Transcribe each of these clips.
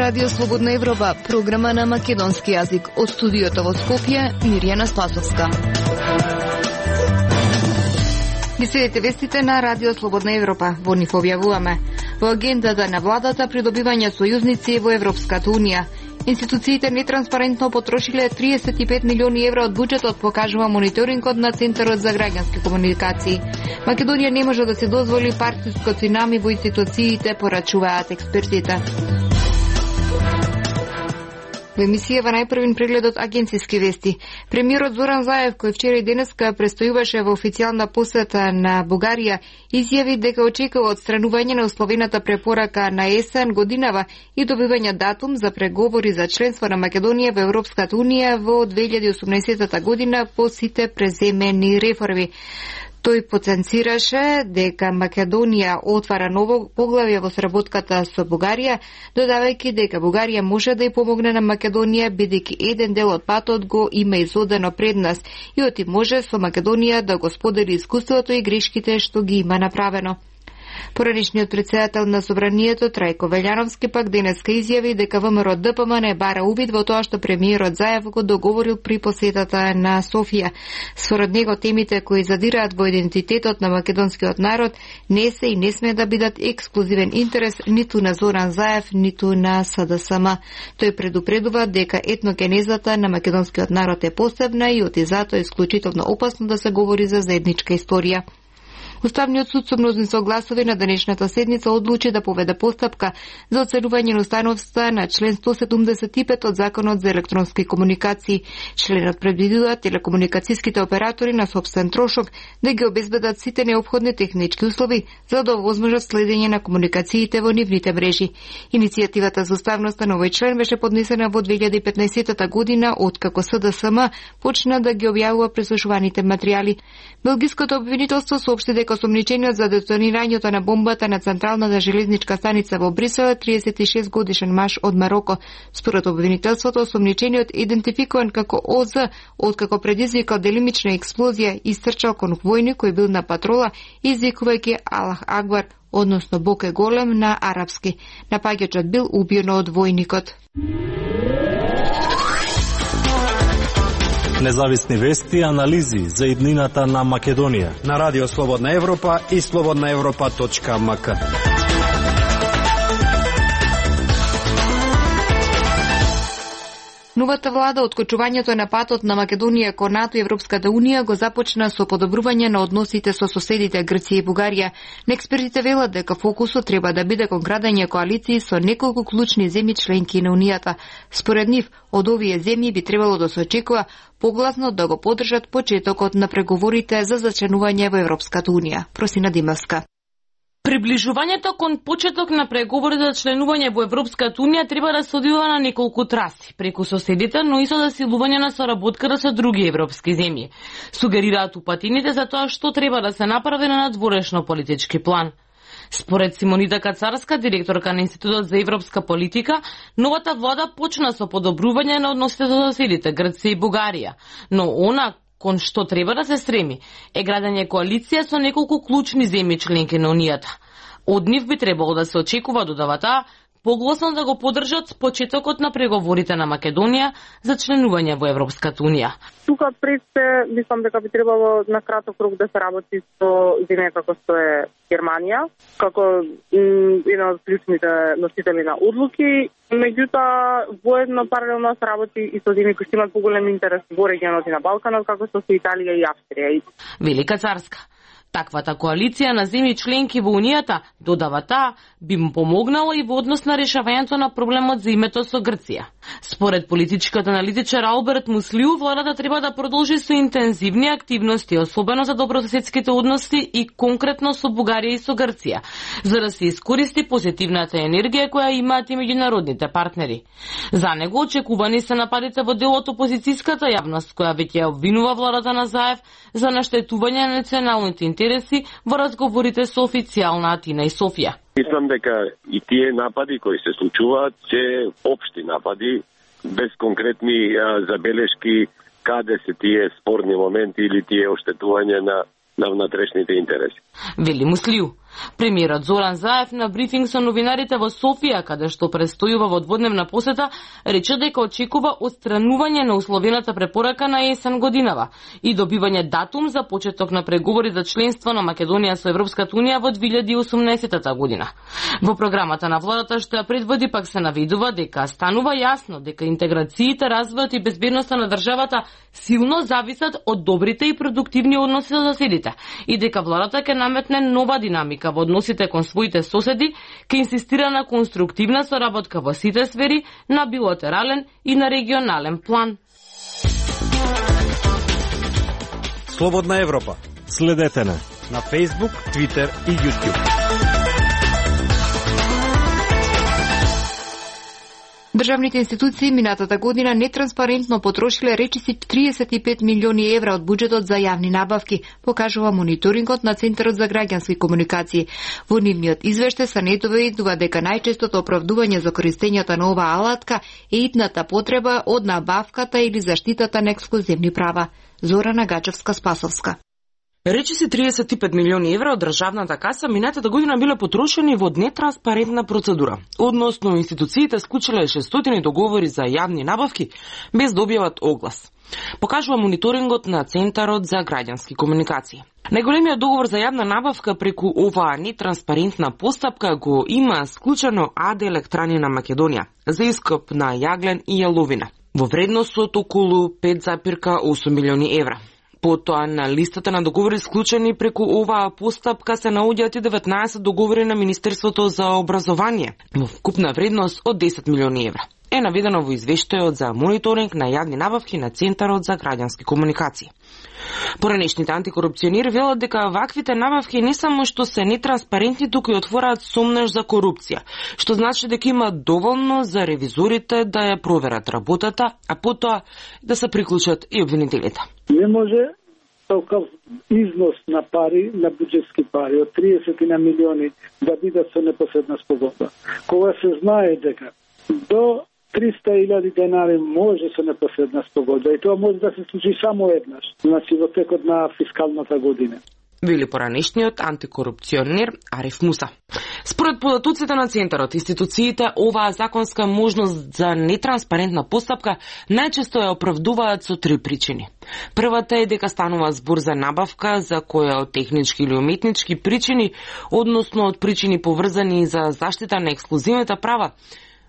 Радио Слободна Европа, програма на македонски јазик. Од студиото во Скопје, Мирјана Спасовска. Ги следите вестите на Радио Слободна Европа. Во нив објавуваме: во агендата на владата придобивање сојузници во Европската Унија. Институциите нетранспарентно потрошиле 35 милиони евра од буџетот, покажува мониторингот на Центарот за граѓански комуникации. Македонија не може да се дозволи партиско цунами во институциите, порачуваат експертите. Во емисијава најпрвин прегледот агенциски вести. Премиерот Зоран Заев, кој вчера и денеска престојуваше во официјална посета на Бугарија, изјави дека очекува отстранување на условената препорака на есен годинава и добивање датум за преговори за членство на Македонија во Европската Унија во 2018 година по сите преземени реформи. Тој потенцираше дека Македонија отвара ново поглавје во сработката со Бугарија, додавајќи дека Бугарија може да ја помогне на Македонија, бидејќи еден дел од патот го има изодено пред нас и оти може со Македонија да го сподели искуството и грешките што ги има направено. Поранишниот председател на Собранието Трајко Велјановски пак денеска изјави дека ВМРО ДПМН не бара увид во тоа што премиерот Заев го договорил при посетата на Софија. Според него темите кои задираат во идентитетот на македонскиот народ не се и не смее да бидат ексклузивен интерес ниту на Зоран Заев, ниту на СДСМ. Тој предупредува дека етногенезата на македонскиот народ е посебна и оти затоа е исклучително опасно да се говори за заедничка историја. Уставниот суд со мнозинство гласови на денешната седница одлучи да поведе постапка за оценување на установста на член 175 од Законот за електронски комуникации. Членот предвидува телекомуникацијските оператори на сопствен трошок да ги обезбедат сите неопходни технички услови за да овозможат следење на комуникациите во нивните мрежи. Иницијативата за уставноста на овој член беше поднесена во 2015 година, откако СДСМ почна да ги објавува преслушуваните материјали. Белгиското обвинителство соопшти дека осомничениот за детонирањето на бомбата на централната железничка станица во Брисел е 36 годишен маж од Мароко. Според обвинителството, осомничениот идентификуван како ОЗ, откако предизвикал делимична експлозија и стрчал кон војник кој бил на патрола, извикувајќи Аллах Акбар, односно Бог е голем на арапски. Напаѓачот бил убиен од војникот. Независни вести и анализи за иднината на Македонија на Радио Слободна Европа и slobodnaevropa.mk. Новата влада откочувањето на патот на Македонија кон НАТО и Европската Унија го започна со подобрување на односите со соседите Грција и Бугарија. Експертите велат дека фокусот треба да биде кон градење коалиции со неколку клучни земји членки на Унијата. Според нив, од овие земји би требало да се очекува погласно да го поддржат почетокот на преговорите за зачленување во Европската Унија. Просина Димовска. Приближувањето кон почеток на преговори за членување во Европската Унија треба да се одвива на неколку траси, преку соседите, но и со засилување на соработката со други европски земји. Сугерираат упатините за тоа што треба да се направи на надворешно политички план. Според Симонита Кацарска, директорка на Институтот за европска политика, новата влада почна со подобрување на односите со соседите Грција и Бугарија, но она кон што треба да се стреми е градење коалиција со неколку клучни земји членки на Унијата. Од нив би требало да се очекува додавата погласно да го поддржат почетокот на преговорите на Македонија за членување во Европската Унија. Тука пред се, мислам дека би требало на краток рок да се работи со земја како што е Германија, како една од клучните носители на одлуки. Меѓутоа, воедно паралелно се работи и со земји кои имаат поголем интерес во регионот и на Балканот, како што се Италија и Австрија. Велика Царска. Таквата коалиција на земји членки во Унијата, додава таа, би му помогнала и во однос на решавањето на проблемот за името со Грција. Според политичкиот аналитичар Алберт Муслиу, владата треба да продолжи со интензивни активности, особено за добрососедските односи и конкретно со Бугарија и со Грција, за да се искористи позитивната енергија која имаат и меѓународните партнери. За него очекувани се нападите во дел од опозицијската јавност, која веќе ја обвинува владата на Заев за наштетување на националните интереси во разговорите со официјална Атина и Софија. Мислам дека и тие напади кои се случуваат се општи напади, без конкретни забелешки каде се тие спорни моменти или тие оштетување на внатрешните интереси. Вели Муслиу. Премиерот Зоран Заев на брифинг со новинарите во Софија, каде што престојува во дводневна посета, рече дека очекува отстранување на условената препорака на есен годинава и добивање датум за почеток на преговори за членство на Македонија со Европската унија во 2018 година. Во програмата на владата што ја предводи пак се наведува дека станува јасно дека интеграциите, развојот и безбедноста на државата силно зависат од добрите и продуктивни односи со соседите и дека владата ќе наметне нова динамика во односите кон своите соседи, ќе инсистира на конструктивна соработка во сите сфери, на билатерален и на регионален план. Слободна Европа. Следете на Facebook, Twitter и YouTube. Државните институции минатата година нетранспарентно потрошиле речиси 35 милиони евра од буџетот за јавни набавки, покажува мониторингот на Центарот за граѓански комуникации. Во нивниот извештај се наведува дека најчестото оправдување за користењето на оваа алатка е итната потреба од набавката или заштитата на ексклузивни права. Зорана Гачевска-Спасовска. Речиси 35 милиони евра од државната каса минатата година биле потрошени во нетранспарентна процедура. Односно, институциите склучиле 600 договори за јавни набавки без да објават оглас. Покажува мониторингот на Центарот за граѓански комуникации. Најголемиот договор за јавна набавка преку оваа нетранспарентна постапка го има склучено АД Електрани на Македонија за ископ на јаглен и јаловина во вредност од околу 5,8 милиони евра. Потоа на листата на договори склучени преку оваа постапка се наоѓаат и 19 договори на Министерството за образование во вкупна вредност од 10 милиони евра. Е наведено во извештајот за мониторинг на јавни набавки на Центарот за граѓански комуникации. Поранешните антикорупционери велат дека ваквите набавки не само што се нетранспарентни, туку и отвораат сомнеж за корупција, што значи дека има доволно за ревизорите да ја проверат работата, а потоа да се приклучат и обвинителите. Не може такав износ на пари, на буџетски пари од 30 на милиони да бидат со непосредна спогодба. Кога се знае дека до 300.000 денари може со непосредна спогодба и тоа може да се случи само еднаш, значи во текот на фискалната година. Вели поранешниот антикорупционер Ариф Муса. Според податоците на Центарот, институциите оваа законска можност за нетранспарентна постапка најчесто ја оправдуваат со три причини. Првата е дека станува збор за набавка за која од технички или уметнички причини, односно од причини поврзани за заштита на ексклузивните права,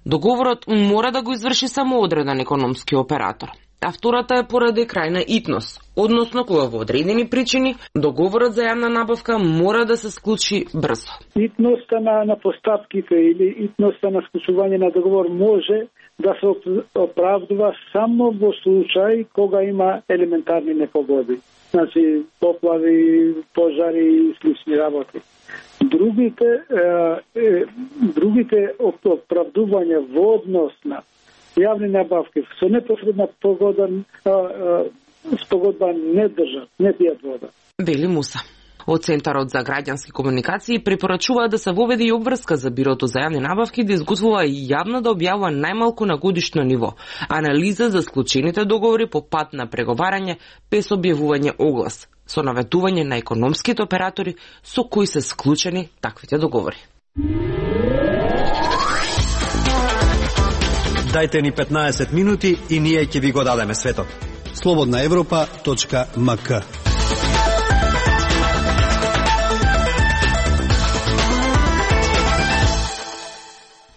договорот мора да го изврши само одреден економски оператор. А втората е поради крајна итност, односно кога во одредени причини договорот за јавна набавка мора да се склучи брзо. Итноста на постапките или итноста на склучување на договор може да се оправдува само во случај кога има елементарни непогоди, значи поплави, пожари и слични работи. Другите оправдувања во однос на јавни набавки со непосредна спогодба не држат, не пијат вода. Вели Муса. Од Центарот за граѓански комуникации препорачува да се воведе и обврска за Бирото за јавни набавки да изготвува и јавно да објавува најмалку на годишно ниво анализа за склучените договори по пат на преговарање без објавување оглас, со наветување на економските оператори со кои се склучени таквите договори. Дајте ни 15 минути и ние ќе ви го дадеме светот. slobodnaevropa.mk.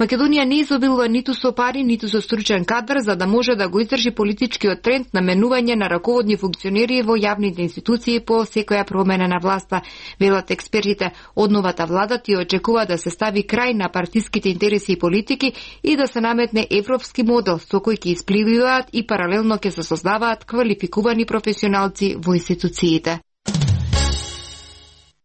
Македонија не изобилува ниту со пари, ниту со стручен кадар за да може да го издржи политичкиот тренд на менување на раководни функционери во јавните институции по секоја промена на власта. Велат експертите, од новата влада ти очекува да се стави крај на партиските интереси и политики и да се наметне европски модел со кој ќе испливуваат и паралелно ќе се создаваат квалификувани професионалци во институциите.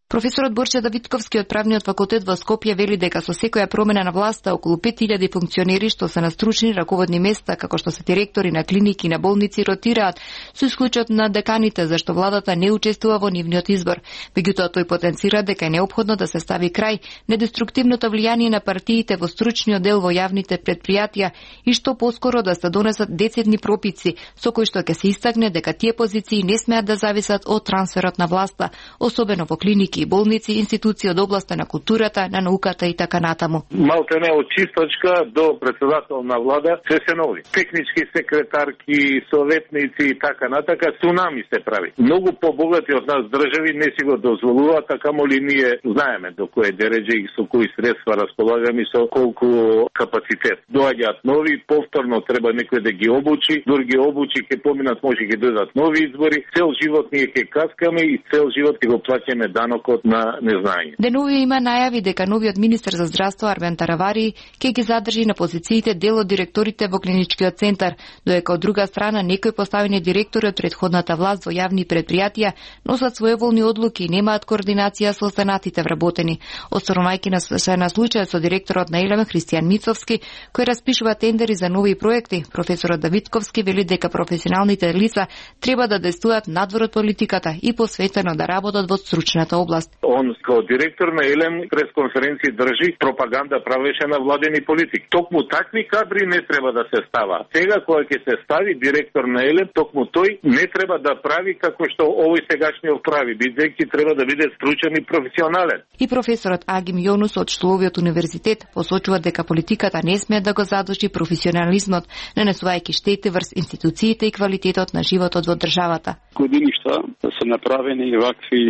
Професорот Борче Давидковски од Правниот факултет во Скопје вели дека со секоја промена на власта околу 5000 функционери што се на стручни раководни места, како што се директори на клиники и на болници, ротираат со исклучок на деканите, зашто владата не учествува во нивниот избор. Меѓутоа тој потенцира дека е неопходно да се стави крај недеструктивното влијание на партиите во стручниот дел во јавните предпријатија и што поскоро да се донесат децидни пропици со кои што ќе се истакне дека тие позиции не смеат да зависат од трансферот на власта, особено во клиники клиники и болници, институции од областа на културата, на науката и така натаму. Малтене од чистачка до председател на влада се нови. Технички секретарки, советници и така натака, цунами се прави. Многу побогати од нас држави не си го дозволуваат, а камоли ние знаеме до кое дереđe и со кои средства располагаме и со колку капацитет. Доаѓаат нови, повторно треба некој да ги обучи, дури ги обучи, ке поминат, може ќе дојдат нови избори, цел живот ние ќе каскаме и цел живот ќе го плаќаме данокот на незнање. Денови има најави дека новиот министер за здравство Армен Таравари ќе ги задржи на позициите дел од директорите во клиничкиот центар, додека од друга страна некои поставени директори од претходната власт во јавни предпријатија носат своеволни одлуки и немаат координација со останатите вработени. Останувајќи на случајот со директорот на Елем Христијан Мицовски, кој распишува тендери за нови проекти, професорот Давидковски вели дека професионалните лица треба да действуваат надвор од политиката и посветено да работат во стручната област. Он како директор на Елем пресконференции држи, пропаганда правеше на владени политик. Токму такви кадри не треба да се става. Сега кога ќе се стави директор на Елем, токму тој не треба да прави како што овој сегашниот прави, бидејќи треба да биде стручен и професионален. И професорот Агим Јонус од Штоловиот универзитет посочува дека политиката не смее да го задуши професионализмот, нанесувајќи штети врз институциите и квалитетот на животот во државата. Годиништа се направени вакви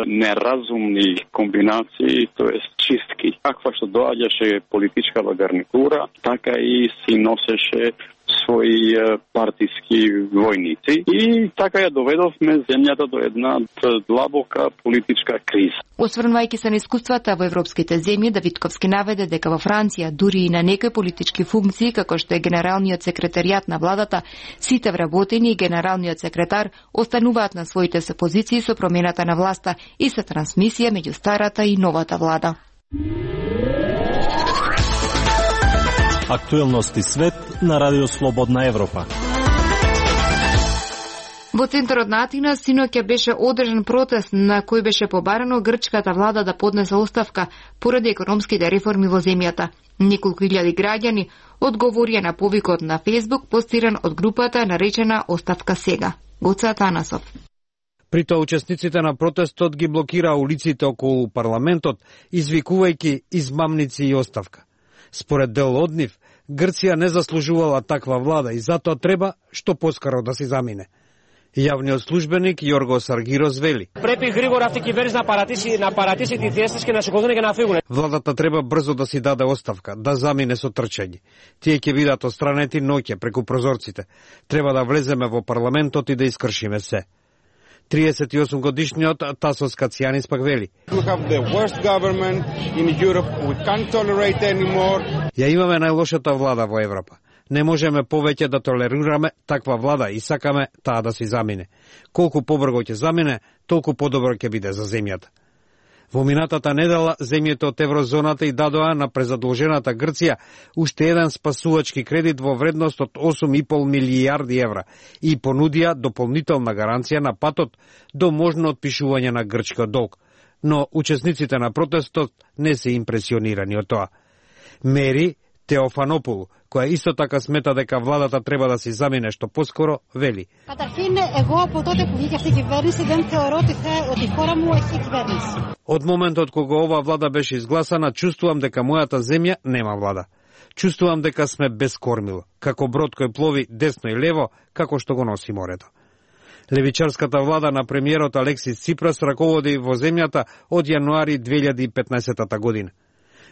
неразумни комбинации, тоест чистки. Каква што доаѓаше политичкава гарнитура, така и си носеше своји партиски војници и така ја доведовме земјата до една длабока политичка криза. Осврнувајќи се на искуствата во европските земји, Давидковски наведе дека во Франција, дури и на некои политички функции, како што е генералниот секретаријат на владата, сите вработени и генералниот секретар остануваат на своите се позиции со промената на власта и се трансмисија меѓу старата и новата влада. Актуелности свет на Радио Слободна Европа. Во центарот на Атина синоќа беше одржан протест на кој беше побарано грчката влада да поднесе оставка поради економските реформи во земјата. Неколку илјади граѓани одговорија на повикот на Фејсбук постиран од групата наречена Оставка сега. Гоце Атанасов. При тоа учесниците на протестот ги блокираа улиците околу парламентот, извикувајќи измамници и оставка. Според дел од нив, Грција не заслужувала таква влада и затоа треба што поскоро да се замине. Јавниот службеник Јоргос Аргирос вели: Препи григора авти киберис на паратиси ти тиестиш ке на шеколдони ке на фигуре. Владата треба брзо да си даде оставка, да замине со трчање. Тие ќе бидат отстранети ноќе преку прозорците. Треба да влеземе во парламентот и да искршиме се. 38 годишниот Тасос Кацијанис пак вели: Ја имаме најлошата влада во Европа. Не можеме повеќе да толерираме таква влада и сакаме таа да се замине. Колку побрзо ќе замине, толку подобро ќе биде за земјата. Во минатата недела земјите од еврозоната и дадоа на презадолжената Грција уште еден спасувачки кредит во вредност од 8,5 милијарди евра и понудија дополнителна гаранција на патот до можно отпишување на грчкиот долг. Но учесниците на протестот не се импресионирани од тоа. Мери Теофанопулу, која исто така смета дека владата треба да се замине што поскоро, вели: Од моментот кога ова влада беше изгласана, чувствувам дека мојата земја нема влада. Чувствувам дека сме без кормило, како брод кој плови десно и лево, како што го носи морето. Левичарската влада на премиерот Алексис Ципрас раководи во земјата од јануари 2015 година.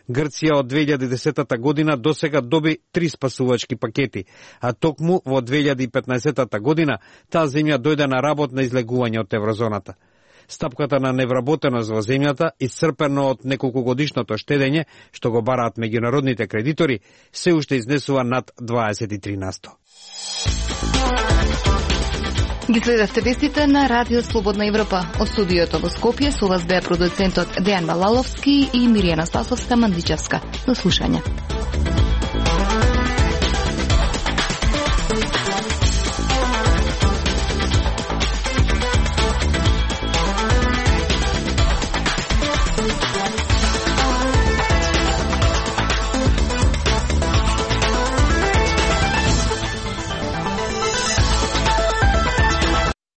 Грција од 2010 година досега доби 3 спасувачки пакети, а токму во 2015 година таа земја дојде на работ на излегување од еврозоната. Стапката на невработеност во земјата, исцрпено од неколку годишното штедење, што го бараат меѓународните кредитори, се уште изнесува над 23%. Ги следевте вестите на Радио Слободна Европа. Од студиото во Скопје со вас беа продуцентот Дејан Малаловски и Миријана Спасовска-Мандичевска. До слушање.